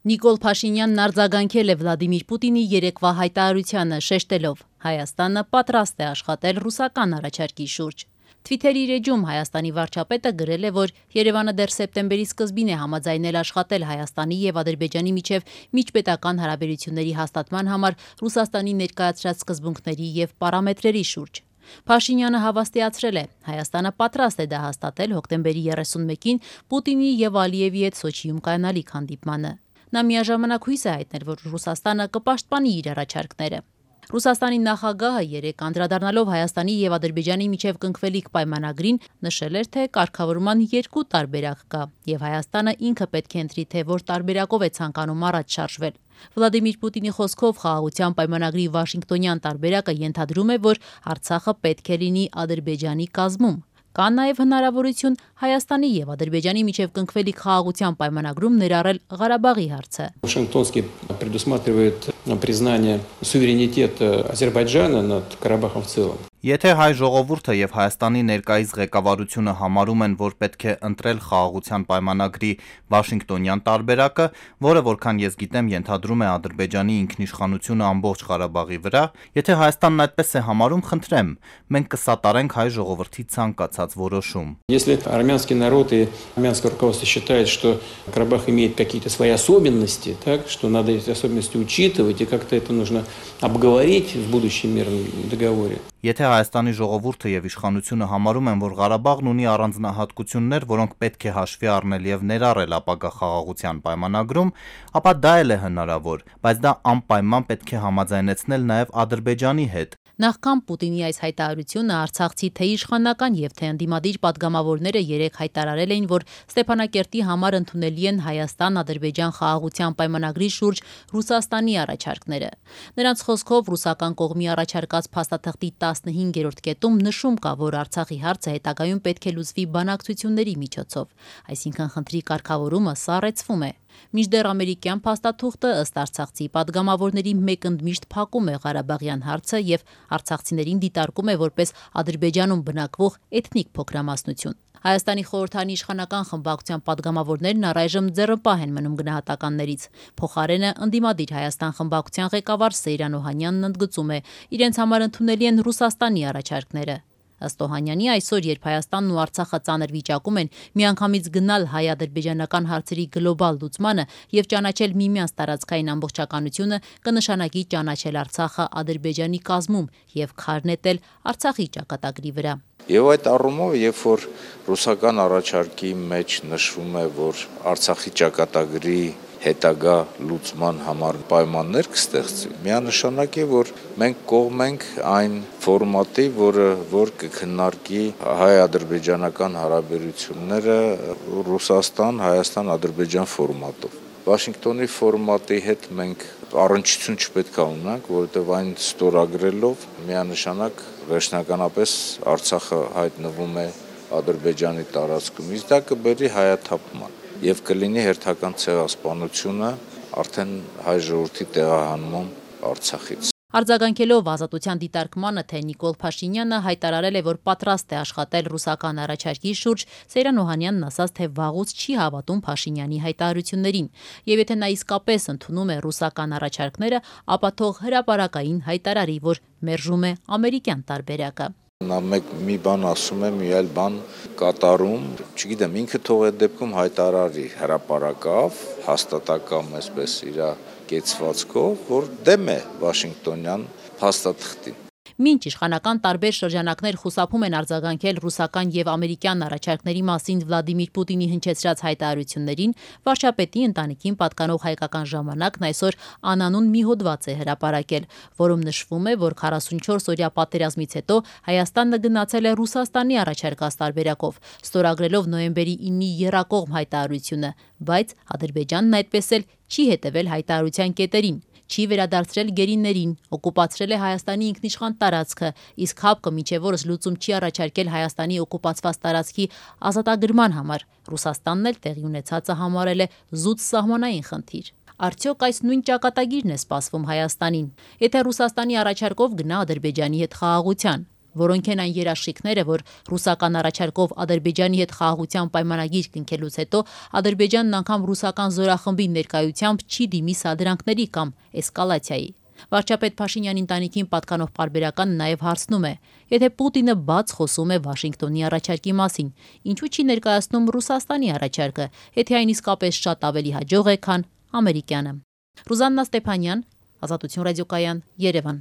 Նիկոլ Փաշինյանն արձագանքել է Վլադիմիր Պուտինի երեկվա հայտարարությանը, շեշտելով. Հայաստանը պատրաստ է աշխատել ռուսական առաջարկի շուրջ։ Թվիթերի իր էջում Հայաստանի վարչապետը գրել է, որ Երևանը դեռ սեպտեմբերի սկզբին է համաձայնել աշխատել Հայաստանի եւ Ադրբեջանի միջև միջպետական հարաբերությունների հաստատման համար Ռուսաստանի ներկայացրած սկզբունքների եւ պարամետրերի շուրջ։ Փաշինյանը հավաստիացրել է. Հայաստանը պատրաստ է դա հաստատել հոկտեմբերի 31-ին Պուտինի եւ Ալիևի հետ Սոչիում կայանալիք հանդիպմանը։ Նա միաժամանակ հույս է հայտնել, որ Ռուսաստանը կպաշտպանի իր առաջարկները։ Ռուսաստանի նախագահը երեկ անդրադառնալով Հայաստանի եւ Ադրբեջանի միջև կնքվելիք պայմանագրին նշել էր, թե կարգավորման երկու տարբերակ կա եւ Հայաստանը ինքը պետք է ընտրի, թե որ տարբերակով է ցանկանում առաջ շարժվել։ Վլադիմիր Պուտինի խոսքով խաղաղության պայմանագրի Վաշինգտոնյան տարբերակը ենթադրում է, որ Արցախը պետք է լինի Ադրբեջանի կազմում։ Կա նաև հնարավորություն Հայաստանի եւ Ադրբեջանի միջև կնքվելիք խաղաղության պայմանագրում ներառել Ղարաբաղի հարցը։ Вашингтонский предусматривает признание суверенитета Азербайджана над Карабахом в целом. Եթե հայ ժողովուրդը եւ Հայաստանի ներկայիս ղեկավարությունը համարում են, որ պետք է ընտրել խաղաղության պայմանագրի Վաշինգտոնյան տարբերակը, որը որքան ես գիտեմ ենթադրում է Ադրբեջանի ինքնիշխանությունը ամբողջ Ղարաբաղի վրա, եթե Հայաստանն այդպես է համարում, խնդրեմ, մենք կսատարենք հայ ժողովրդի ցանկացած որոշում։ Если армянский народ и армянское руководство считает, что Карабах имеет какие-то свои особенности, так, что надо эти особенности учитывать и как-то это нужно обговорить в будущем мирном договоре. Եթե Հայաստանի ժողովուրդը եւ իշխանությունը համարում են, որ Ղարաբաղն ունի առանձնահատկություններ, որոնք պետք է հաշվի առնել եւ ներառել ապագա խաղաղության պայմանագրում, ապա դա էլ է հնարավոր, բայց դա անպայման պետք է համաձայնեցնել նաեւ Ադրբեջանի հետ։ Նախքան Պուտինի այս հայտարարությունը Արցախցի թե իշխանական եւ թե ընդդիմադիր պատգամավորները երեկ հայտարարել էին, որ Ստեփանակերտի համար ընդունելի են Հայաստան-Ադրբեջան խաղաղության պայմանագրի շուրջ Ռուսաստանի առաջարկները։ Նրանց խոսքով ռուսական կողմի առաջարկած փաստաթղթի 15-րդ կետում նշում կա, որ Արցախի հարցը հետագայում պետք է լուծվի բանակցությունների միջոցով, այսինքն խնդրի կարգավորումը սառեցվում է։ Մինչդեռ ամերիկյան փաստաթուղթը ըստ արցախցի պատգամավորների մեկընդմիշտ փակում է Ղարաբաղյան հարցը եւ արցախցիներին դիտարկում է որպես Ադրբեջանում բնակվող էթնիկ փոքրամասնություն։ Հայաստանի խորհրդանի իշխանական խմբակցության պատգամավորներն առայժմ ձեռնպահ են մնում գնահատականներից։ Փոխարենը ընդդիմադիր Հայաստան խմբակցության ղեկավար Սեյրան Օհանյանն ընդգծում է, իրենց համար ընդունելի են Ռուսաստանի առաջարկները։ Ըստ Օհանյանի, այսօր, երբ Հայաստանն ու Արցախը ծանր վիճակում են, միանգամից գնալ հայ-ադրբեջանական հարցերի գլոբալ լուծմանը եւ ճանաչել միմյանց տարածքային ամբողջականությունը կնշանակի ճանաչել Արցախը Ադրբեջանի կազմում եւ քար նետել Արցախի ճակատագրի վրա։ Եվ այդ առումով, երբ որ ռուսական առաջարկի մեջ նշվում է, որ Արցախի ճակատագրի հետագա լուծման համար պայմաններ կստեղծվի, միանշանակ է, որ մենք կողմ ենք այն ֆորմատի, որ կքննարկի հայ-ադրբեջանական հարաբերությունները Ռուսաստան-Հայաստան-Ադրբեջան ֆորմատով։ Վաշինգտոնի ֆորմատի հետ մենք առնչություն չպետք է ունենանք, որովհետև այն ստորագրելով միանշանակ վերջնականապես Արցախը հայտնվում է Ադրբեջանի տարածքում, իսկ դա կբերի հայաթափման եւ կլինի հերթական ցեղասպանությունը արդեն հայ ժողովրդի տեղահանման Արցախից։ Արձագանքելով Ազատության դիտարկմանը, թե Նիկոլ Փաշինյանը հայտարարել է, որ պատրաստ է աշխատել ռուսական առաջարկի շուրջ, Սեյրան Օհանյանն ասաց, թե վաղուց չի հավատում Փաշինյանի հայտարարություններին, եւ եթե նա իսկապես ընդունում է ռուսական առաջարկները, ապա թող հրապարակային հայտարարի, որ մերժում է ամերիկյան տարբերակը։ Նա մի բան ասում է, մի այլ բան կատարում, չգիտեմ, ինքը թող այդ դեպքում հայտարարի հրապարակավ, հաստատակամ այսպես իր կեցվածքով, որ դեմ է Վաշինգտոնյան փաստաթղթին։ Մինչ իշխանական տարբեր շրջանակներ խուսափում են արձագանքել ռուսական եւ ամերիկյան առաջարկների մասին Վլադիմիր Պուտինի հնչեցրած հայտարարություններին, վարչապետի ընտանիքին պատկանող Հայկական ժամանակն այսօր անանուն մի հոդված է հրապարակել, որում նշվում է, որ 44-օրյա պատերազմից հետո Հայաստանը գնացել է Ռուսաստանի առաջարկած տարբերակով, ստորագրելով նոյեմբերի 9-ի եռակողմ հայտարարությունը, բայց Ադրբեջանն այդպես էլ չի հետևել հայտարարության կետերին։ Չի վերադարձրել գերիներին, օկուպացրել է Հայաստանի ինքնիշխան տարածքը, իսկ ՀԱՊԿ մինչև օրս լուծում չի առաջարկել Հայաստանի օկուպացված տարածքի ազատագրման համար։ Ռուսաստանն էլ տեղի ունեցածը համարել է զուտ սահմանային խնդիր։ Արդյոք այս նույն ճակատագիրն է սպասվում Հայաստանին, եթե Ռուսաստանի առաջարկով գնա Ադրբեջանի հետ խաղաղության։ որոնք են այն երաշխիքները, որ ռուսական առաջարկով Ադրբեջանի հետ խաղաղության պայմանագիր կնքելուց հետո Ադրբեջանն անգամ ռուսական զորախմբի ներկայությամբ չի դիմի սադրանքների կամ էսկալացիայի։ Վարչապետ Փաշինյանի ընտանիքին պատկանող պարբերականը նաև հարցնում է. եթե Պուտինը բաց խոսում է Վաշինգտոնի առաջարկի մասին, ինչու չի ներկայացնում Ռուսաստանի առաջարկը, եթե այն իսկապես շատ ավելի հաջող է, քան ամերիկյանը։ Ռուզաննա Ստեփանյան, Ազատություն ռադիոկայան, Երևան։